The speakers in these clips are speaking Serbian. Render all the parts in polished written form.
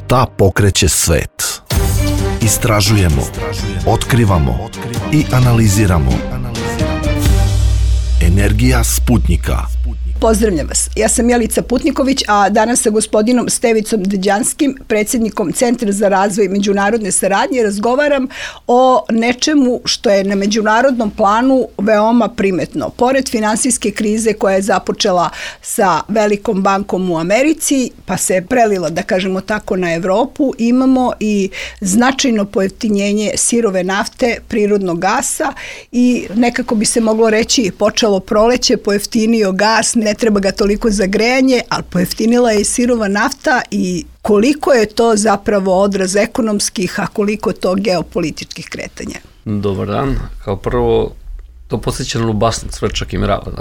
Šta pokreće svet? Istražujemo, otkrivamo i analiziramo. Energija Sputnika. Pozdravljam vas. Ja sam Jelica Putniković, a danas sa gospodinom Stevicom Deđanskim, predsjednikom Centra za razvoj međunarodne saradnje, razgovaram o nečemu što je na međunarodnom planu veoma primetno. Pored finansijske krize koja je započela sa velikom bankom u Americi, pa se je prelila, da kažemo tako, na Evropu, imamo i značajno pojeftinjenje sirove nafte, prirodnog gasa i nekako bi se moglo reći počelo proleće, pojeftinio gas, ne treba ga toliko za grejanje, ali pojeftinila je i sirova nafta i koliko je to zapravo odraz ekonomskih, a koliko to geopolitičkih kretanja? Dobar dan. Kao prvo, to podsjeća na Lubasnac, Cvrčak i Mrava.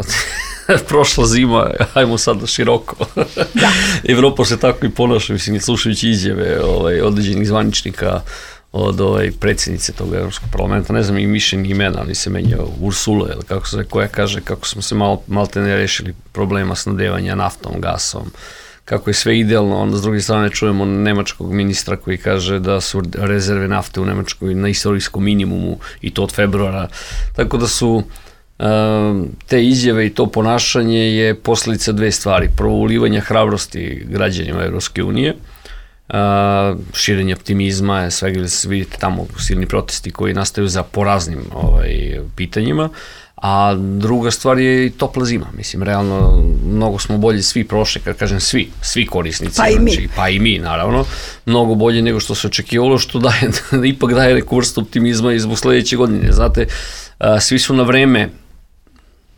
Prošla zima, ajmo sad široko. Da. Evropa se tako i ponaša, mislim, slušajući izjave određenih zvaničnika od predsjednice tog Evropskog parlamenta, ne znam i mišljenje imena, ali se menjao Ursula, ili kako se koja kaže kako smo se malte ne rešili problema snabdevanja naftom, gasom, kako je sve idealno, onda s druge strane čujemo nemačkog ministra koji kaže da su rezerve nafte u Nemačkoj na istorijskom minimumu i to od februara, tako da su te izjave i to ponašanje je posljedica dve stvari. Prvo, ulivanja hrabrosti građanima Evropske unije, širenje optimizma, svega vidite tamo silni protesti koji nastaju po raznim pitanjima, a druga stvar je i topla zima. Mislim, realno, mnogo smo bolji svi prošli, kad kažem svi korisnici, pa i mi, naravno, mnogo bolje nego što se očekivalo, što ipak daje neku vrstu optimizma i zbog sledeće godine. Znate, svi su na vreme,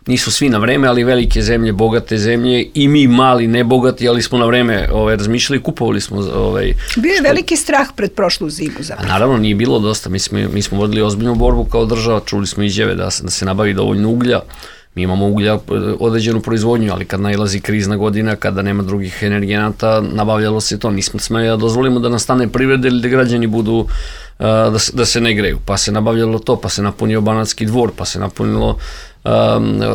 nisu svi na vreme, ali velike zemlje, bogate zemlje i mi mali, nebogati, ali smo na vreme razmišljali, kupovali smo. Bio je veliki strah pred prošlu zimu zapravo. Naravno, nije bilo dosta. Mi smo vodili ozbiljnu borbu kao država, čuli smo izjave da se nabavi dovoljno uglja. Mi imamo uglja, određenu proizvodnju, ali kad nailazi krizna godina, kada nema drugih energenata, nabavljalo se to. Nismo smeli da dozvolimo da nastane privreda ili da građani budu, da se ne greju. Pa se nabavljalo to, pa se napunio Banatski dvor, pa se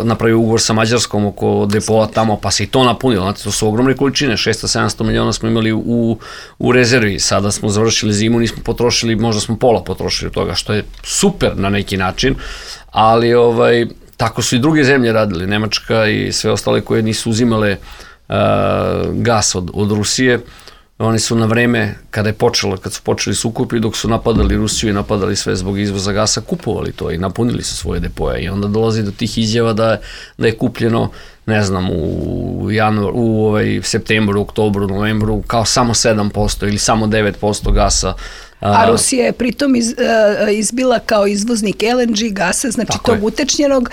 napravio ugovor sa Mađarskom oko depoa tamo, pa se i to napunilo. Znate, to su ogromne količine, 600-700 miliona smo imali u rezervi. Sada smo završili zimu, nismo potrošili, možda smo pola potrošili od toga, što je super na neki način, ali tako su i druge zemlje radili, Nemačka i sve ostale koje nisu uzimale gas od Rusije. Oni su na vreme, kad su počeli sukobi, dok su napadali Rusiju i napadali sve zbog izvoza gasa, kupovali to i napunili su svoje depoje. I onda dolazi do tih izjava da je kupljeno, ne znam, u septembru, oktobru, novembru, kao samo 7% ili samo 9% gasa. A Rusija je pritom izbila kao izvoznik LNG gasa, znači tog utečnjenog,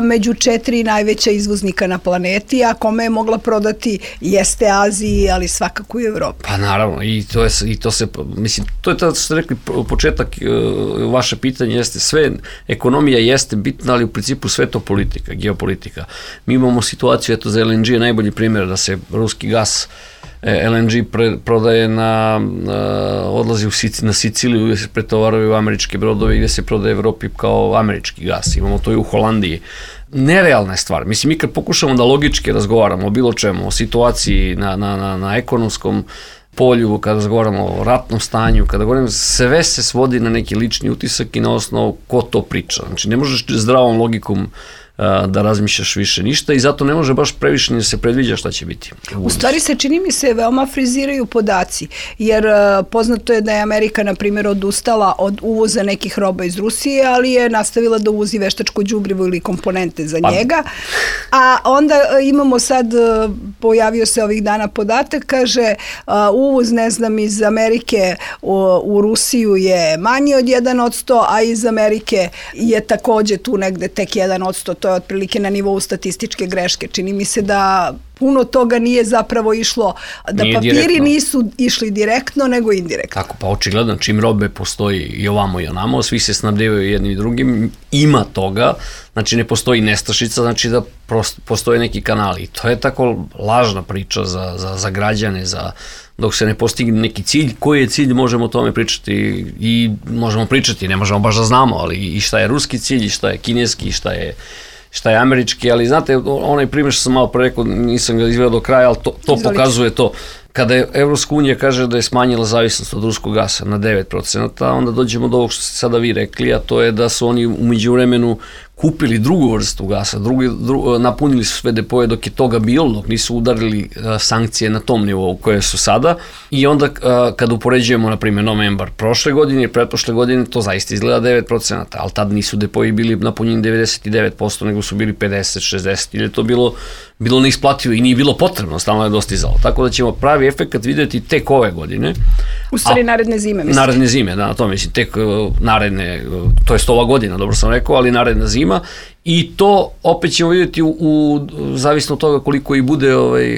među 4 najveća izvoznika na planeti, a kome je mogla prodati jeste Aziji, ali svakako i Evropi. Pa naravno, mislim, to je to što ste rekli, početak vaše pitanje jeste sve, ekonomija jeste bitna, ali u principu sve to politika, geopolitika. Mi imamo situaciju, za LNG je najbolji primjer da se ruski gas LNG prodaje odlazi na Siciliju gdje se pretovaraju američke brodove i gdje se prodaje Evropi kao američki gas. Imamo to i u Holandiji. Nerealna je stvar. Mislim, mi kad pokušamo da logički razgovaramo o bilo čemu, o situaciji na ekonomskom polju, kada razgovaramo o ratnom stanju, kada govorimo, sve se svodi na neki lični utisak i na osnovu ko to priča. Znači, ne možeš zdravom logikom da razmišljaš više ništa i zato ne može baš previše ni da se predviđa šta će biti. U stvari se čini mi se veoma friziraju podaci, jer poznato je da je Amerika, na primjer, odustala od uvoza nekih roba iz Rusije, ali je nastavila da uvozi veštačko đubrivo ili komponente za njega. A onda imamo sad, pojavio se ovih dana podatak, kaže uvoz, ne znam, iz Amerike u Rusiju je manji od 1%, a iz Amerike je takođe tu negde tek 1%, to je otprilike na nivou statističke greške. Čini mi se da puno toga nije zapravo išlo, da papiri nisu išli direktno, nego indirektno. Tako, pa očigledno, čim robe postoji i ovamo i onamo, svi se snabdevaju jednim i drugim, ima toga, znači ne postoji nestašica, znači da postoje neki kanali. I to je tako lažna priča za građane, dok se ne postigne neki cilj. Koji je cilj, možemo o tome pričati i možemo pričati, ne možemo baš da znamo, ali i šta je ruski cilj, i šta je kineski, i šta je američki, ali znate, onaj primjer što sam malo pre rekao, nisam ga izveo do kraja, ali to pokazuje to. kada Evropska unija kaže da je smanjila zavisnost od ruskog gasa na 9%, onda dođemo do ovog što ste sada vi rekli, a to je da su oni u međuvremenu kupili drugu vrstu gasa, napunili su sve depoje dok je toga bilo, dok nisu udarili sankcije na tom nivou koje su sada, i onda kada upoređujemo, na primjer, novembar prošle godine i pretprošle godine, to zaista izgleda 9%, ali tad nisu depoji bili napunjeni 99%, nego su bili 50, 60, ili je to bilo neisplativo i nije bilo potrebno, stalno je dostizalo. Tako da ćemo pravi efekat vidjeti tek ove godine. U stvari naredne zime, mislim. Naredne zime, da, na to mislim, tek naredne, to jest ova godina, dobro sam rekao, ali naredna zima, i to opet ćemo vidjeti zavisno od toga koliko i bude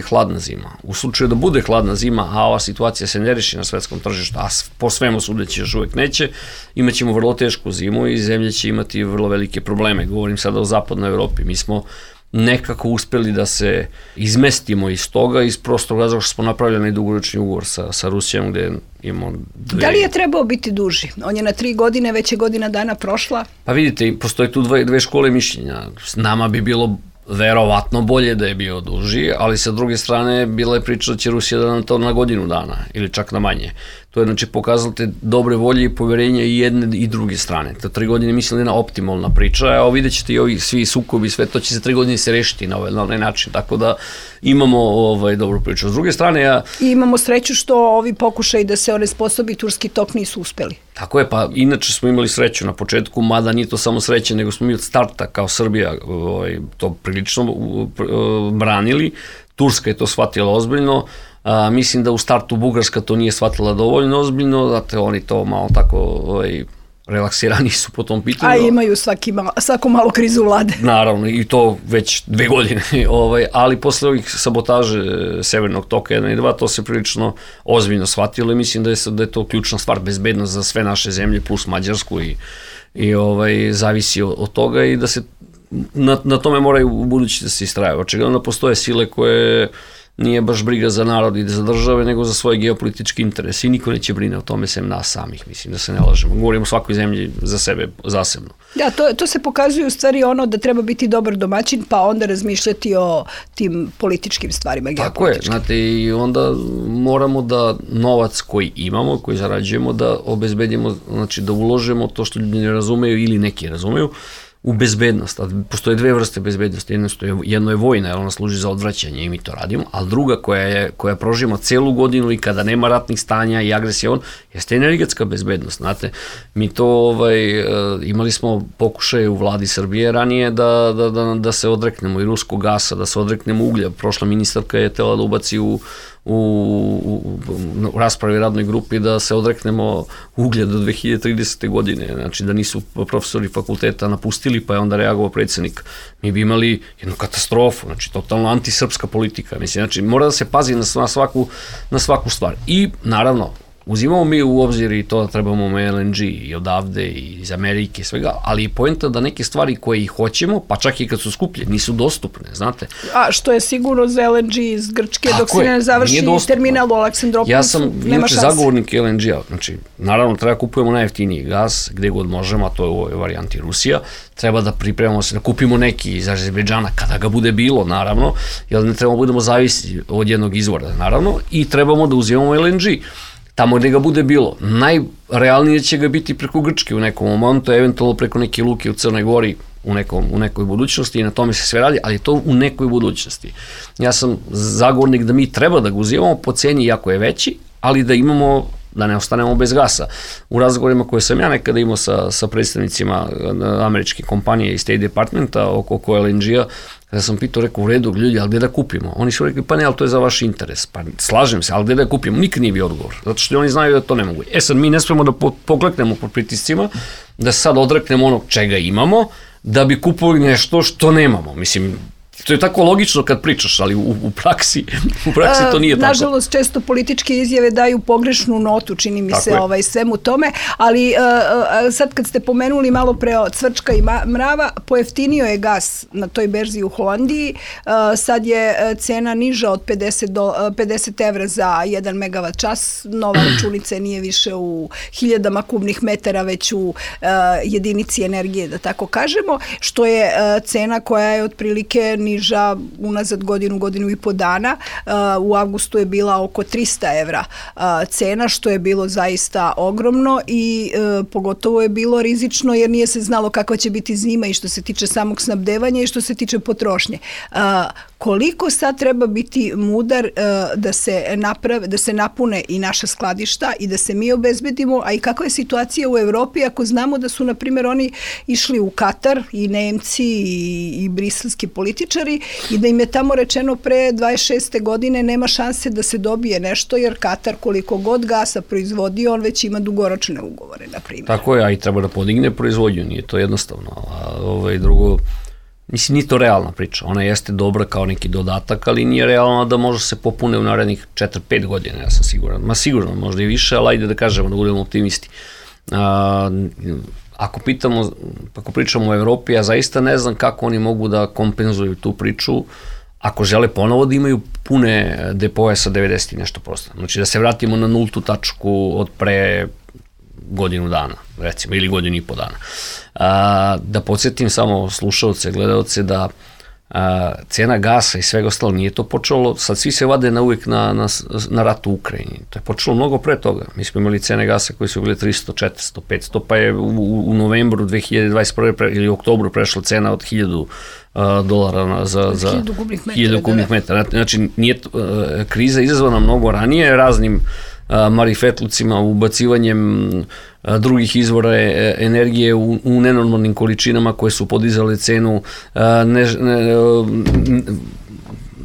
hladna zima. U slučaju da bude hladna zima, a ova situacija se ne reši na svetskom tržištu, a po svemu sudeći još uvek neće, imat ćemo vrlo tešku zimu i zemlje će imati vrlo velike probleme. Govorim sada o zapadnoj Evropi. Mi smo nekako uspeli da se izmestimo iz toga, iz prostog razloga što smo napravljeni dugoročni ugovor sa Rusijom, gde imamo Da li je trebao biti duži? On je na 3 godine, već je godina dana prošla. Pa vidite, postoje tu dve škole mišljenja. Nama bi bilo verovatno bolje da je bio duži, ali sa druge strane bila je priča da će Rusija da nam to na godinu dana ili čak na manje. To je znači pokazatelj dobre volje i poverenja i jedne i druge strane. To 3 godine mislim da je jedna optimalna priča, a vidjet ćete i ovi svi sukobi, sve to će za 3 godine se rešiti na ovaj način, tako da imamo dobru priču. S druge strane, I imamo sreću što ovi pokušaj da se onesposobi Turski tok nisu uspeli. Tako je, pa inače smo imali sreću na početku, mada nije to samo sreće, nego smo mi od starta kao Srbija to prilično branili. Turska je to shvatila ozbiljno. Mislim da u startu Bugarska to nije shvatila dovoljno ozbiljno, znate, oni to malo tako relaksirani su po tom pitanju. A imaju svako malo krizu vlade. Naravno, i to već 2 godine, ali posle ovih sabotaže Severnog toka 1 i 2, to se prilično ozbiljno shvatilo i mislim da je to ključna stvar, bezbednost za sve naše zemlje plus Mađarsku i zavisi od toga i da se na tome moraju u budući da se istrajaju. Očigledno postoje sile koje nije baš briga za narod i za države, nego za svoje geopolitički interese i niko neće brine o tome sem nas samih, mislim, da se ne lažemo. Govorimo o svakoj zemlji za sebe, zasebno. Da, to se pokazuje u stvari da treba biti dobar domaćin, pa onda razmišljati o tim političkim stvarima, geopolitičkim. Tako je, znate, i onda moramo da novac koji imamo, koji zarađujemo, da obezbedimo, znači da uložemo to što ljudi ne razumeju ili neki razumeju, u bezbednost. Postoje 2 vrste bezbednosti. Jedno je vojna, jer ona služi za odvraćanje i mi to radimo, a druga koja proživimo celu godinu i kada nema ratnih stanja i agresije, jeste energetska bezbednost. Znate, mi to imali smo pokušaje u vladi Srbije ranije da se odreknemo i ruskog gasa, da se odreknemo uglja. Prošla ministarka je htela da ubaci u raspravi radnoj grupi da se odreknemo uglja do 2030. godine, znači da nisu profesori fakulteta napustili, pa je onda reagovao predsjednik. Mi bi imali jednu katastrofu, znači totalno antisrpska politika, mislim, znači mora da se pazi na svaku stvar. I naravno, uzimamo mi u obzir i to da trebamo LNG i odavde i iz Amerike i svega, ali je poenta da neke stvari koje ih hoćemo, pa čak i kad su skuplje, nisu dostupne, znate. A što je sigurno za LNG iz Grčke, dok se ne završi terminal u Aleksandropolisu, nema šanse. Ja sam inače zagovornik LNG-a, znači naravno treba kupujemo najjeftiniji gas, gde god možemo, a to je u ovoj varijanti Rusija, treba da pripremamo se, da kupimo neki iz Azerbejdžana, kada ga bude bilo, naravno, jer ne trebamo budemo zavisi od jednog izvora, naravno, i trebamo da uzimamo LNG. Tamo gde ga bude bilo. Najrealnije će ga biti preko Grčke u nekom momentu, eventualno preko neke luke u Crnoj Gori u nekoj budućnosti i na tome se sve radi, ali to u nekoj budućnosti. Ja sam zagovornik da mi treba da ga uzimamo po ceni jako je veći, ali da imamo, da ne ostanemo bez gasa. U razgovorima koje sam ja nekada imao sa predstavnicima američke kompanije i State Departmenta oko LNG-a, kada sam pitao, rekao, u redu, ljudi, ali gde da kupimo? Oni su rekli, pa ne, ali to je za vaš interes. Pa slažem se, ali gde da kupimo? Nikad nije bio odgovor, zato što oni znaju da to ne mogu. Sad, mi ne smemo da pokleknemo pod pritiscima, da sad odreknemo onog čega imamo, da bi kupovali nešto što nemamo. Mislim, to je tako logično kad pričaš, ali u praksi to nije tako. Nažalost, često političke izjave daju pogrešnu notu, čini mi se svemu tome, ali sad kad ste pomenuli malo pre cvrčka i mrava, pojeftinio je gas na toj berzi u Holandiji, sad je cena niža od 50 evra za 1 megavat čas, nova računica nije više u 1000 kubnih metara, već u jedinici energije, da tako kažemo, što je cena koja je otprilike najniža unazad godinu i po dana. U avgustu je bila oko 300 evra cena, što je bilo zaista ogromno i pogotovo je bilo rizično jer nije se znalo kakva će biti zima i što se tiče samog snabdevanja i što se tiče potrošnje. Koliko sad treba biti mudar da se napune i naša skladišta i da se mi obezbedimo, a i kakva je situacija u Evropi ako znamo da su, na primjer, oni išli u Katar, i Nemci i briselski političari, i da im je tamo rečeno pre 26. godine nema šanse da se dobije nešto, jer Katar koliko god gasa proizvodi, on već ima dugoročne ugovore, na primjer. Tako je, a i treba da podigne proizvodnju, nije to jednostavno. Drugo, mislim, nije to realna priča. Ona jeste dobra kao neki dodatak, ali nije realna da može se popune u narednih 4-5 godina, ja sam siguran. Ma sigurno, možda i više, ali ajde da kažemo, da budemo optimisti. Ako pričamo o Evropi, ja zaista ne znam kako oni mogu da kompenzuju tu priču ako žele ponovo da imaju pune depoje sa 90 i nešto prosto. Znači da se vratimo na nultu tačku od pre godinu dana, recimo, ili godinu i po dana. Da podsjetim samo slušalce, gledalce da cena gasa i svega ostalo nije to počelo, sad svi se vade na uvijek na rat u Ukrajini. To je počelo mnogo pre toga. Mi smo imali cene gasa koje su bile 300, 400, 500, pa je u novembru 2021. ili oktobru prešla cena od $1000 za 1000 kubnih metara. Znači, nije kriza izazvana mnogo ranije raznim marifetlucima, ubacivanjem drugih izvora energije u nenormalnim količinama koje su podizale cenu,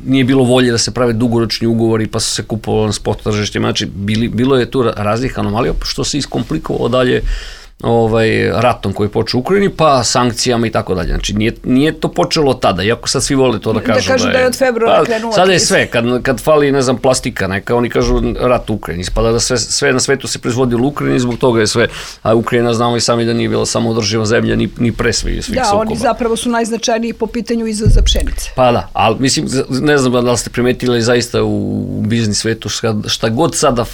nije bilo volje da se prave dugoročni ugovori pa su se kupovali na spot tržištima, znači bilo je tu raznih anomalija što se iskomplikovalo dalje ratom koji je počeo u Ukrajini, pa sankcijama i tako dalje. Znači, nije to počelo tada, iako sad svi vole to da kažu. Da kažu da je od februara krenuo. Sada je sve, kad fali, ne znam, plastika neka, oni kažu rat u Ukrajini. Ispada da sve na svetu se proizvodi u Ukrajini, zbog toga je sve, a Ukrajina znamo i sami da nije bila samoodrživa zemlja, ni pre svih sukoba. Da, oni zapravo su najznačajniji po pitanju izvoza pšenice. Pa da, ali mislim, ne znam da li ste primetili zaista u biznis svetu, šta god sada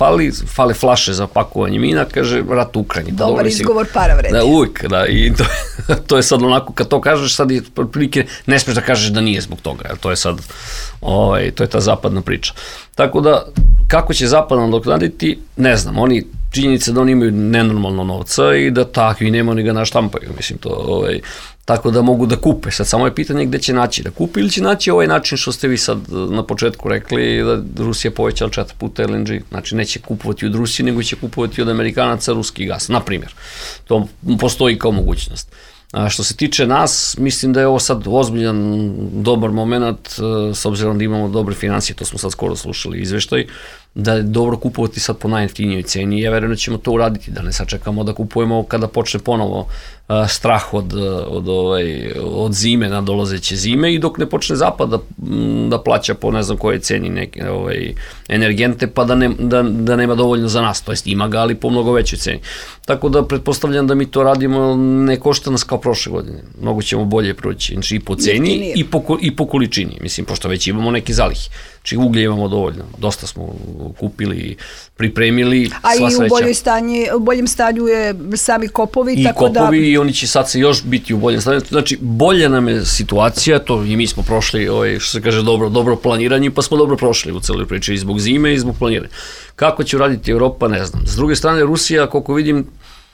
fale flaše za pakovanje mina, kaže rat u Ukrajini. Dobar izgovor, para vredi. Da, uvijek, da, i to je sad onako, kad to kažeš, sad je prilike, ne smiješ da kažeš da nije zbog toga, jer to je sad, to je ta zapadna priča. Tako da, kako će zapad nadoknaditi, ne znam, oni, činjenica da oni imaju nenormalno novca i da takvi nema, oni ga naštampaju, mislim, to, tako da mogu da kupe. Sad samo je pitanje gde će naći da kupe ili će naći ovaj način što ste vi sad na početku rekli da Rusija povećala 4 puta LNG. Znači neće kupovati od Rusije, nego će kupovati od Amerikanaca ruski gas, na primjer. To postoji kao mogućnost. Što se tiče nas, mislim da je ovo sad ozbiljan, dobar moment, s obzirom da imamo dobre financije, to smo sad skoro slušali izveštaj, da je dobro kupovati sad po najjeftinijoj ceni i ja verujem da ćemo to uraditi, da ne sačekamo da kupujemo kada počne ponovo strah od zime, nadolazeće zime i dok ne počne zapad da plaća po ne znam koje ceni neke energente, pa da nema dovoljno za nas, to jest ima ga, ali po mnogo većoj ceni. Tako da pretpostavljam da mi to radimo, ne košta nas kao prošle godine, mnogo ćemo bolje proći, znači i po ceni i po količini, mislim, pošto već imamo neke zalihe. Znači uglje imamo dovoljno, dosta smo kupili, pripremili, a i u boljem stanju je sami kopovi. I kopovi i oni će sad se još biti u boljem stanju, znači bolja nam je situacija, to i mi smo prošli, što se kaže, dobro planiranje, pa smo dobro prošli u celoj priči i zbog zime i zbog planiranja. Kako će uraditi Evropa, ne znam. S druge strane, Rusija, koliko vidim,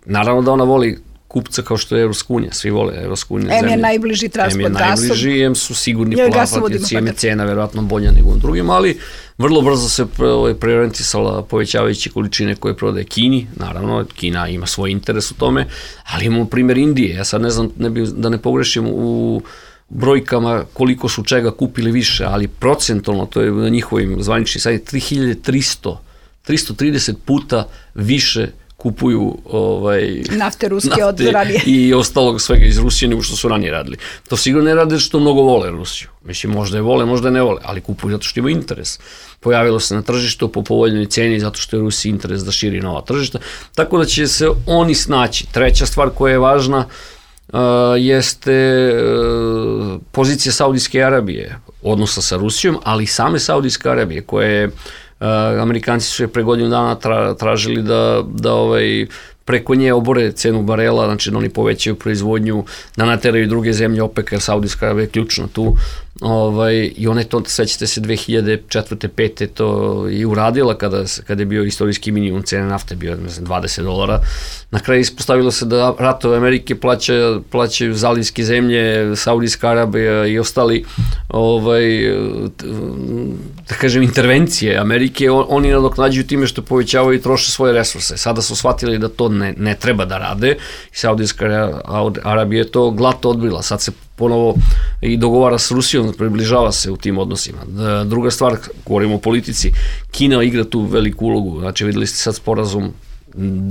naravno da ona voli kupca kao što je Evropska unija, svi vole Evropska unija zemlje. M je najbliži transport gasom. M je najbliži, M su sigurni platioci, M je cena verovatno bolja nego u drugim, ali vrlo brzo se preorijentisala povećavajući količine koje prodaje Kini, naravno, Kina ima svoj interes u tome, ali imamo primjer Indije, ja sad ne znam, da ne pogrešim u brojkama koliko su čega kupili više, ali procentualno, to je na njihovim zvaničnim sajtima, 330 puta više kupuju nafte ruske od ranije i ostalog svega iz Rusije nego što su ranije radili. To sigurno ne rade što mnogo vole Rusiju. Mislim, možda je vole, možda ne vole, ali kupuju zato što ima interes. Pojavilo se na tržištu po povoljnoj ceni zato što je Rusiji interes da širi nova tržišta. Tako da će se oni snaći. Treća stvar koja je važna jeste pozicija Saudijske Arabije, odnosa sa Rusijom, ali i same Saudijske Arabije koje Amerikanci su je pre godinu dana tražili da preko nje obore cenu barela, znači da oni povećaju proizvodnju, da nateraju druge zemlje OPEC, jer Saudijska Arabija je ključna tu, i ona je to, svećate se, 2004. 5. to i uradila kada je bio istorijski minimum cene nafte, bio $20. Na kraju ispostavilo se da ratove Amerike plaćaju zalivske zemlje, Saudijska Arabija i ostali, da kažem, intervencije Amerike, oni nadoknađuju time što povećavaju i troše svoje resurse. Sada su shvatili da to ne treba da rade i Saudijska Arabija je to glato odbila. Sad se ponovo i dogovara s Rusijom, približava se u tim odnosima. Druga stvar, govorimo o politici, Kina igra tu veliku ulogu, znači videli ste sad sporazum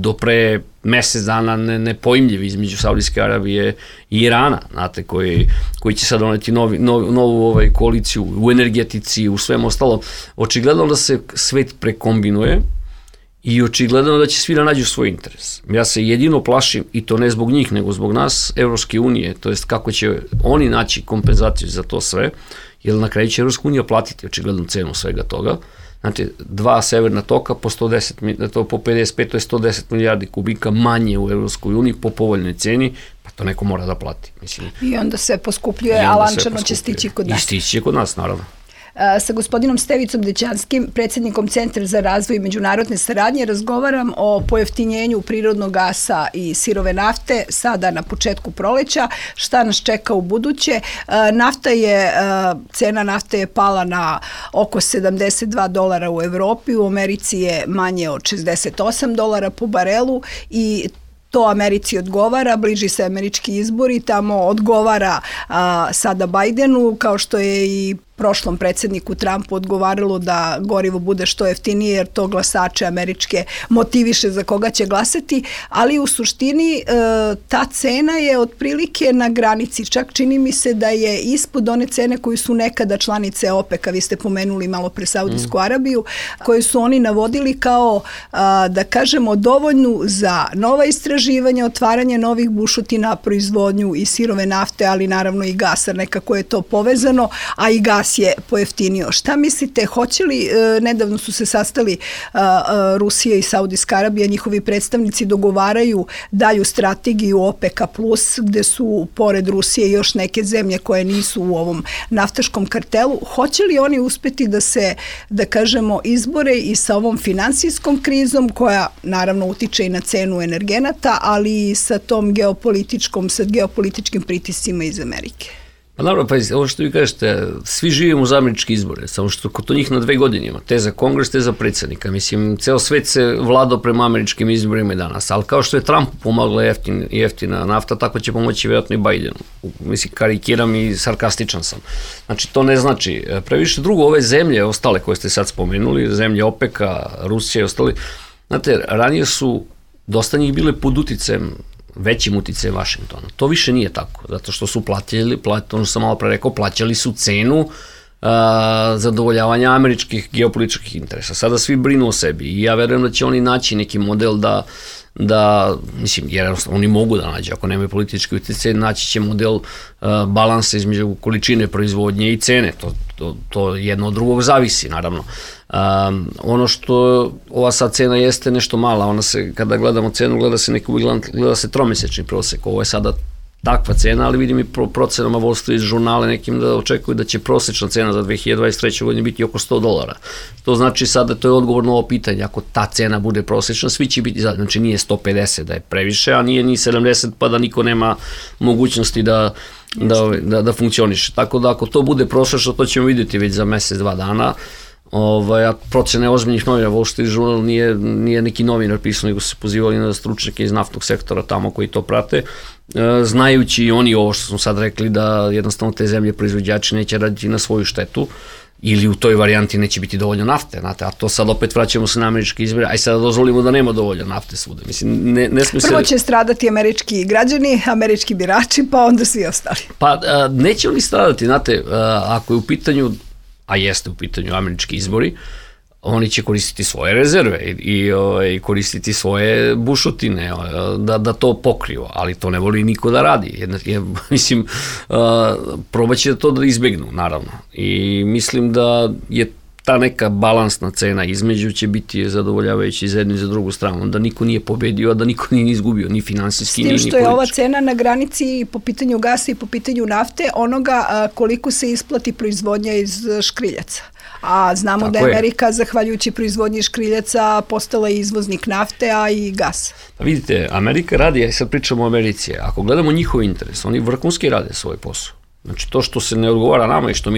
do pre mesec dana nepojmljiv između Saudijske Arabije i Irana, znate, koji će sad doneti novu koaliciju u energetici, u svem ostalom. Očigledno da se svet prekombinuje i očigledno da će svi da nađu svoj interes. Ja se jedino plašim, i to ne zbog njih, nego zbog nas, Evropske unije, to jest kako će oni naći kompenzaciju za to sve, jer na kraju će Evropska unija platiti očigledno cenu svega toga. Znači, 2 severna toka po 55, to je 110 milijardi kubika manje u Evropskoj uniji po povoljnoj ceni, pa to neko mora da plati. Mislim. I onda se poskupljuje, a lančano će stići kod nas. I stići će kod nas, naravno. Sa gospodinom Stevicom Dećanskim, predsjednikom Centra za razvoj i međunarodne saradnje, razgovaram o pojeftinjenju prirodnog gasa i sirove nafte sada na početku proleća, šta nas čeka u buduće. Cena nafte je pala na oko $72 u Evropi, u Americi je manje od $68 po barelu i to Americi odgovara, bliži se američki izbori, tamo odgovara sada Bajdenu, kao što je i prošlom predsjedniku Trumpu odgovaralo da gorivo bude što jeftinije, jer to glasače američke motiviše za koga će glasati, ali u suštini ta cena je otprilike na granici, čak čini mi se da je ispod one cene koju su nekada članice OPEC-a, vi ste pomenuli malo pre Saudijsku Arabiju, koju su oni navodili kao, da kažemo, dovoljnu za nova istraživanja, otvaranje novih bušotina, proizvodnju i sirove nafte, ali naravno i gasa, nekako je to povezano, a i gas je pojeftinio. Šta mislite, hoće li, nedavno su se sastali Rusija i Saudijska Arabija, njihovi predstavnici dogovaraju dalju strategiju OPEC-a plus, gde su pored Rusije još neke zemlje koje nisu u ovom naftaškom kartelu. Hoće li oni uspeti da se, da kažemo, izbore i sa ovom finansijskom krizom, koja naravno utiče i na cenu energenata, ali i sa tom geopolitičkim pritiscima iz Amerike? Pa naravno, pa ovo što vi kažete, svi živimo uz američke izbore, samo što kod njih na 2 godine ima, te za kongres, te za predsjednika. Mislim, ceo svet se vladao prema američkim izborima i danas, ali kao što je Trump pomagla jeftina nafta, tako će pomoći vjerojatno i Bajdenu. Mislim, karikiram i sarkastičan sam. Znači, to ne znači previše. Drugo, ove zemlje, ostale koje ste sad spomenuli, zemlje OPEC-a, Rusija i ostali, znate, ranije su dosta njih bile pod uticajem, većim uticajem Vašingtona. To više nije tako, zato što su ono što sam malo pre rekao, plaćali su cenu zadovoljavanja američkih geopolitičkih interesa. Sada svi brinu o sebi i ja verujem da će oni naći neki model da mislim, jer oni mogu da nađe, ako nemaju politički utjecaj, naći će model balansa između količine proizvodnje i cene. To jedno od drugog zavisi, naravno. Ono što ova sad cena jeste nešto mala, ona se, kada gledamo cenu, gleda se tromesečni prosek, ovo je sada takva cena, ali vidim i procenama Wall Street žurnale nekim da očekuju da će prosečna cena za 2023. godine biti oko $100. To znači sada, to je odgovor na ovo pitanje, ako ta cena bude prosečna, svi će biti zajedno, znači nije 150 da je previše, a nije ni 70 pa da niko nema mogućnosti da funkcioniše. Tako da ako to bude prosečno, to ćemo vidjeti već za mesec, 2 dana. Procene ozbiljnih novina, Wall Street Journal nije neki novinar pisao, nego se pozivali na stručnjake iz naftnog sektora tamo koji to prate, znajući i oni ovo što smo sad rekli, da jednostavno te zemlje proizvođači neće raditi na svoju štetu, ili u toj varijanti neće biti dovoljno nafte, znate, a to sad opet vraćamo se na američki izbore, aj sada dozvolimo da nema dovoljno nafte svuda. Mislim, prvo će stradati američki građani, američki birači, pa onda svi ostali. Pa neće oni stradati, znate, ako je u pitanju, a jeste u pitanju američki izbori, oni će koristiti svoje rezerve i koristiti svoje bušotine da to pokriju, ali to ne voli niko da radi. Mislim, probat će to da izbegnu, naravno. I mislim da je ta neka balansna cena između će biti zadovoljavajući za jednu i za drugu stranu, da niko nije pobedio, a da niko nije izgubio, ni finansijski, ni politički. S tim što je ova cena na granici po pitanju gasa i po pitanju nafte onoga koliko se isplati proizvodnja iz škriljaca. A znamo da je Amerika, zahvaljujući proizvodnji škriljaca, postala izvoznik nafte, a i gasa. Pa vidite, Amerika radi, ja sad pričamo o Americi, ako gledamo njihov interes, oni vrhunski rade svoj posao. Znači to što se ne odgovara nama i što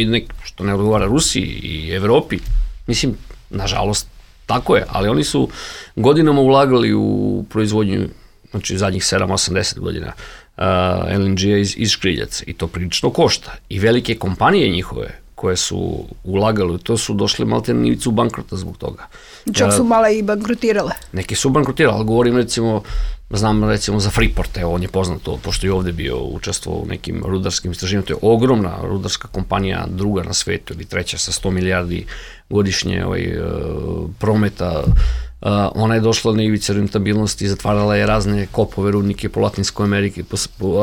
ne odgovara Rusiji i Evropi, mislim, nažalost, tako je, ali oni su godinama ulagali u proizvodnju, znači zadnjih 7-80 godina, LNG-a iz škriljaca i to prilično košta. I velike kompanije njihove koje su ulagali, to su došle malte na ivicu bankrota zbog toga. Čak su mala i bankrotirale. Neki su bankrotirali, ali govorim znam za Freeport, evo on je poznato, pošto je ovde bio učestvovao u nekim rudarskim istraživanjima, to je ogromna rudarska kompanija, druga na svetu ili treća sa 100 milijardi godišnje prometa. Ona je došla na ivice rentabilnosti, zatvarala je razne kopove, rudnike po Latinskoj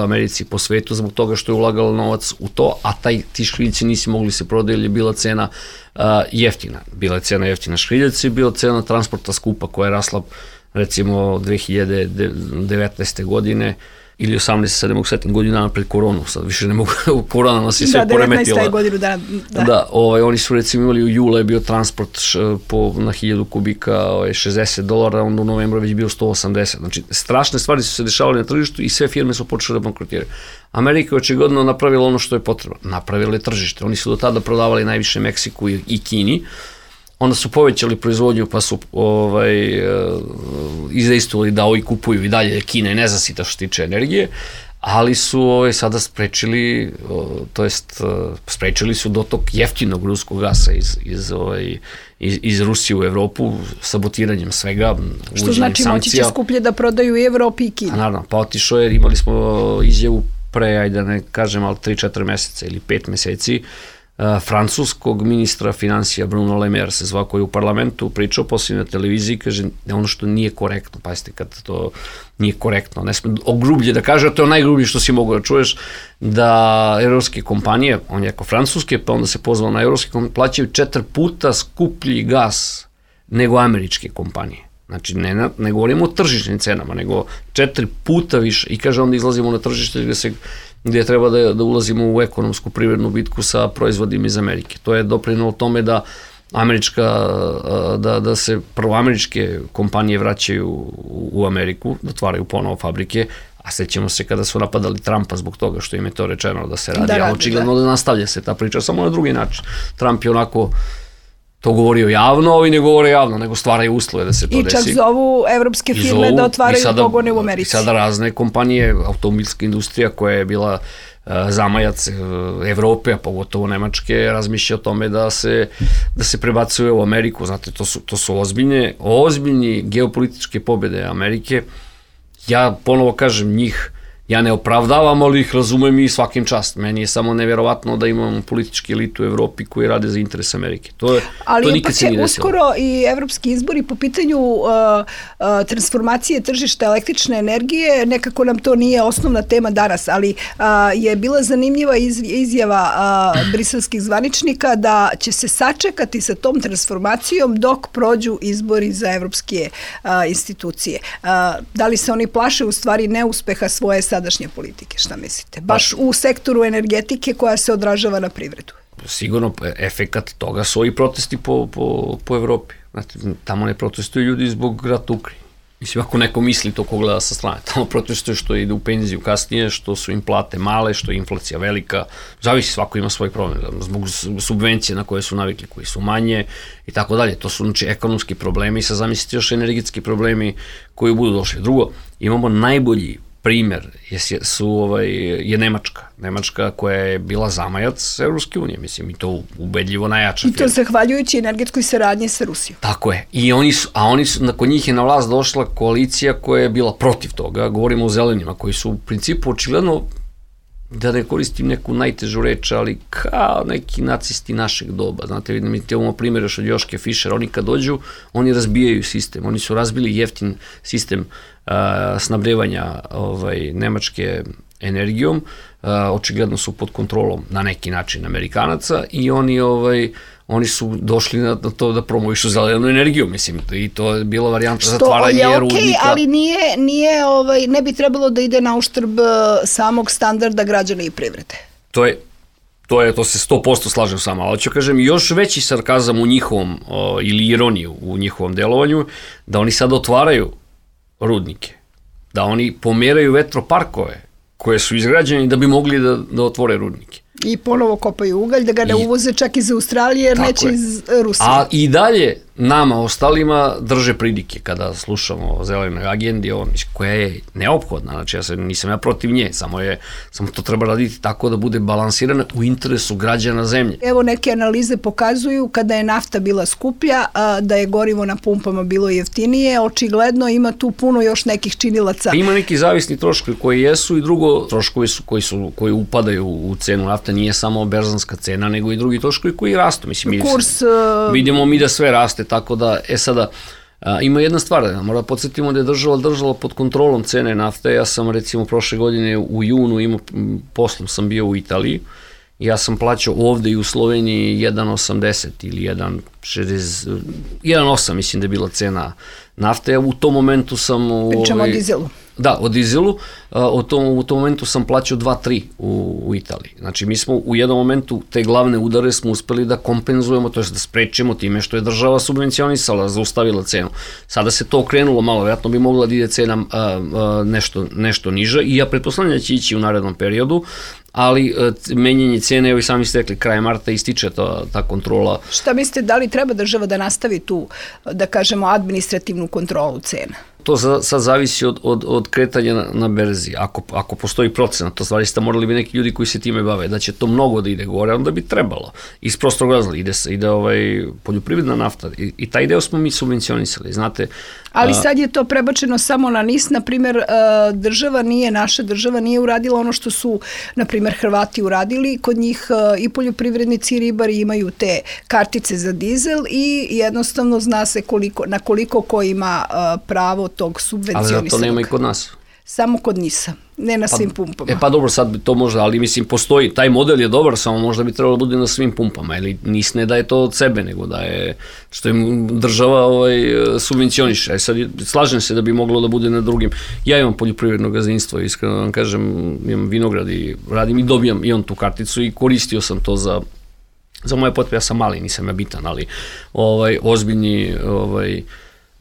Americi, po svetu, zbog toga što je ulagala novac u to, a ti škriljici nisi mogli se prodati, jer je bila cena jeftina. Bila je cena jeftina škriljaca i bila cena transporta skupa koja je rasla recimo 2019. godine ili 18-7 godina pred koronu, sad više ne mogu, korona nas je sve poremetila. 19. godinu, da. Da, oni su recimo imali u jula je bio transport na 1000 kubika $60, onda u novembru već bio 180, znači strašne stvari su se dešavale na tržištu i sve firme su počele da bankrotiraju. Amerika je očigledno napravila ono što je potrebno, napravila je tržište, oni su do tada prodavali najviše Meksiku i Kini, onda su povećali proizvodnju pa su izdejstvovali da ovi kupuju i dalje, Kina je nezasita što se tiče energije, ali su sada sprečili su dotok jeftinog ruskog gasa iz Rusije u Evropu sabotiranjem svega. Što znači moći će skuplje da prodaju i Evropi i Kini. Naravno, pa otišao jer imali smo izjavu pre, ajde da ne kažem, ali 3-4 meseca ili 5 meseci, francuskog ministra financija Bruno Le Maire se zvao, koji je u parlamentu pričao poslije na televiziji, kaže ono što nije korektno, pazite kad to nije korektno, ne sme ogrublje da kaže, a to je najgrublje što si mogu da čuješ, da evropske kompanije, on je jako francuske, pa onda se pozvao na evropske kompanije, plaćaju 4 puta skuplji gas nego američke kompanije. Znači, ne govorimo o tržišnim cenama, nego 4 puta više. I kaže, onda izlazimo na tržište gde treba da ulazimo u ekonomsku privrednu bitku sa proizvodima iz Amerike. To je doprinelo tome da se prvo američke kompanije vraćaju u Ameriku, da otvaraju ponovo fabrike, a sećamo se kada su napadali Trumpa zbog toga što im je to rečeno da se radi, a očigledno da nastavlja se ta priča, samo na drugi način. Trump je onako to govorio javno, ovi ne govore javno, nego stvaraju uslove da se to desi. I čak zovu evropske firme da otvaraju pogone u Americi. I sada razne kompanije, automobilska industrija koja je bila zamajac Evrope, a pogotovo Nemačke, razmišlja o tome da se prebacuje u Ameriku. Znate, to su ozbiljni geopolitičke pobjede Amerike. Ja ponovo kažem, njih ja ne opravdavam, ali ih razumem i svakim čast. Meni je samo nevjerovatno da imamo politički elitu u Evropi koji rade za interes Amerike. To nikad se nije desilo. Ali uskoro i evropski izbori po pitanju transformacije tržišta električne energije, nekako nam to nije osnovna tema danas, ali je bila zanimljiva izjava briselskih zvaničnika da će se sačekati sa tom transformacijom dok prođu izbori za evropske institucije. Da li se oni plaše u stvari neuspeha svoje sadašnje politike, šta mislite? Baš u sektoru energetike koja se odražava na privredu. Sigurno, efekat toga su ovi protesti po Evropi. Znate, tamo ne protestuju ljudi zbog rata u Ukrajini. Mislim, ako neko misli to ko gleda sa strane, tamo protestuju što ide u penziju kasnije, što su im plate male, što je inflacija velika, zavisi, svako ima svoj problem, zbog subvencije na koje su navikli, koji su manje i tako dalje. To su znači ekonomski problemi i sad zamislite još energetski problemi koji budu došli. Drugo, imamo najbolji primer je Nemačka. Nemačka koja je bila zamajac Evropske unije, mislim, i to ubedljivo najjača. I to zahvaljujući energetskoj saradnji sa Rusijom. Tako je. Nakon njih je na vlast došla koalicija koja je bila protiv toga. Govorimo o zelenima, koji su u principu očigledno, da ne koristim neku najtežu reč, ali kao neki nacisti našeg doba. Znate, vidim, imamo primjer još od Joške Fischer, oni kad dođu, oni razbijaju sistem, oni su razbili jeftin sistem snabdevanja Nemačke energijom, očigledno su pod kontrolom na neki način Amerikanaca i oni su došli na to da promovišu zelenu energiju, mislim, i to je bila varijanta zatvaranje rudnika. Što je okej, ali ne bi trebalo da ide na uštrb samog standarda građana i privrede. To se 100% slažem sama, ali ću kažem još veći sarkazam u njihovom, ili ironiju u njihovom delovanju, da oni sad otvaraju rudnike, da oni pomeraju vetroparkove koje su izgrađeni da bi mogli da otvore rudnike. I ponovo kopaju ugalj, da ga ne uvoze čak iz Australije, jer neće iz Rusije. A i dalje nama, ostalima, drže pridike kada slušamo o zelenoj agendi, koja je neophodna, znači nisam ja protiv nje, samo to treba raditi tako da bude balansirana u interesu građana zemlje. Evo neke analize pokazuju kada je nafta bila skuplja, da je gorivo na pumpama bilo jeftinije, očigledno ima tu puno još nekih činilaca. Ima neki zavisni troškovi koji jesu i drugo troškovi su koji upadaju u cenu nafte, nije samo berzanska cena, nego i drugi troškovi koji rastu. Mislim, vidimo mi da sve raste, tako da, sada, ima jedna stvar, mora da podsjetimo da je država pod kontrolom cene nafte. Ja sam recimo prošle godine u junu poslom sam bio u Italiji, ja sam plaćao ovde i u Sloveniji 1,80 ili 1,8 mislim da je bila cena nafte. U tom momentu sam... Pričamo o dizelu. Da, o dizelu. U tom momentu sam plaćao 2,3 u Italiji. Znači, mi smo u jednom momentu te glavne udare smo uspeli da kompenzujemo, to je da sprečemo time što je država subvencionisala, zaustavila cenu. Sada se to okrenulo malo, vjerojatno bi mogla da ide cena nešto niža i ja pretpostavljam da će ići u narednom periodu, ali menjanje cene, evo i sami ste rekli, kraj marta ističe ta kontrola. Šta mislite, da li treba država da nastavi tu, da kažemo, administrativnu kontrolu cena? To sad zavisi od kretanja na berzi. Ako postoji procenat, to stvari ste morali bi neki ljudi koji se time bave, da će to mnogo da ide gore, onda bi trebalo. Iz prostog razloga ide poljoprivredna nafta i taj deo smo mi subvencionisali, znate. Ali sad je to prebačeno samo na NIS, na primjer, naša država nije uradila ono što su, na primjer, Hrvati uradili, kod njih i poljoprivrednici i ribari imaju te kartice za dizel i jednostavno zna se na koliko ko ima pravo tog subvencionisanog. Ali to nema i kod nas. Samo kod NIS-a, ne na svim pumpama. Pa dobro, sad to možda, ali mislim postoji, taj model je dobar, samo možda bi trebalo da bude na svim pumpama, ili NIS ne daje to od sebe, nego da je, što im država subvencioniše. Sad slažem se da bi moglo da bude na drugim. Ja imam poljoprivredno gazdinstvo, iskreno vam kažem, imam vinograd i radim i dobijam i on tu karticu i koristio sam to za moje potrebe. Ja sam mali, nisam ja bitan, ali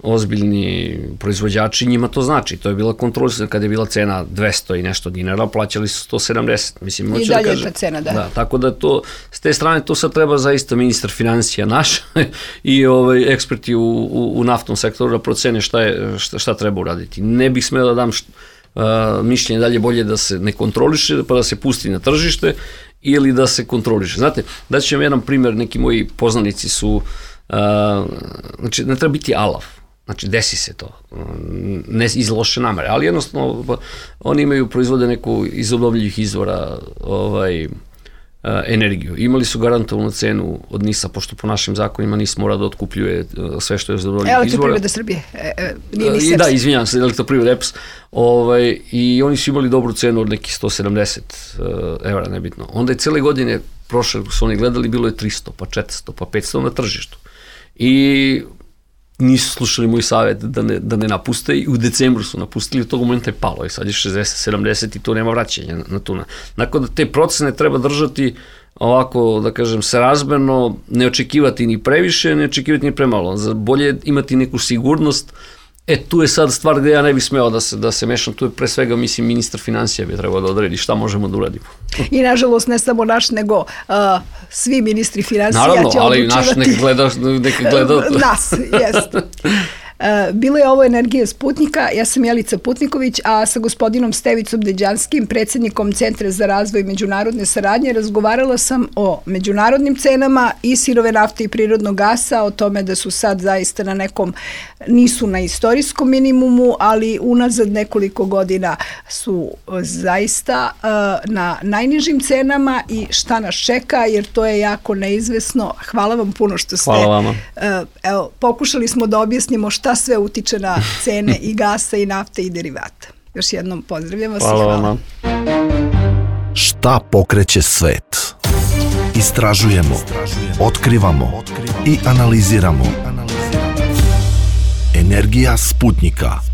ozbiljni proizvođači, njima to znači. To je bila kontrolisana, kada je bila cena 200 i nešto dinara, plaćali su 170. Mislim, i dalje je ta cena, da. Tako da to, s te strane, to sad treba zaista ministar financija naš i eksperti u naftnom sektoru da procene šta treba uraditi. Ne bih smeo da dam mišljenje dalje bolje da se ne kontroliše, pa da se pusti na tržište ili da se kontroliše. Znate, daću ću vam jedan primjer, neki moji poznanici su, znači, ne treba biti alav. Znači, desi se to, ne iz loše namere, ali jednostavno oni proizvode neku iz obnovljivih izvora energiju. Imali su garantovanu cenu od NIS-a, pošto po našim zakonima NIS mora da otkupljuje sve što je iz obnovljivih izvora. Elektroprivreda Srbije, nije NIS EPS. Da, izvinjam se, Elektroprivreda EPS. I oni su imali dobru cenu od nekih 170 evra, nebitno. Onda je cijele godine prošle su oni gledali, bilo je 300, pa 400, pa 500 na tržištu. I nisu slušali moj savjet da ne napuste i u decembru su napustili, u tog momenta je palo i sad je 60-70 i tu nema vraćanja na tuna. Dakle, da te procene treba držati ovako, da kažem, srazmerno, ne očekivati ni previše, ne očekivati ni premalo. Bolje imati neku sigurnost. Tu je sad stvar gde ja ne bih smeo da se mešam, tu je pre svega, mislim, ministar financija bi trebao da odredi šta možemo da uradimo. I nažalost ne samo naš, nego svi ministri financija će odlučivati. Naravno, ali naš neka gleda. Nas, jest. Bilo je ovo Energija Sputnika, ja sam Jelica Putniković, a sa gospodinom Stevicom Deđanskim, predsjednikom Centra za razvoj međunarodne saradnje, razgovarala sam o međunarodnim cenama i sirove nafte i prirodnog gasa, o tome da su sad zaista na nekom, nisu na istorijskom minimumu, ali unazad nekoliko godina su zaista na najnižim cenama i šta nas čeka, jer to je jako neizvesno. Hvala vam puno što ste... Hvala vama. Evo, pokušali smo da objasnimo šta sve utiče na cene i gasa i nafte i derivata. Još jednom pozdravljam vas i hvala. Hvala vama. Ta pokreće svet. Istražujemo, otkrivamo i analiziramo. Energija Sputnika.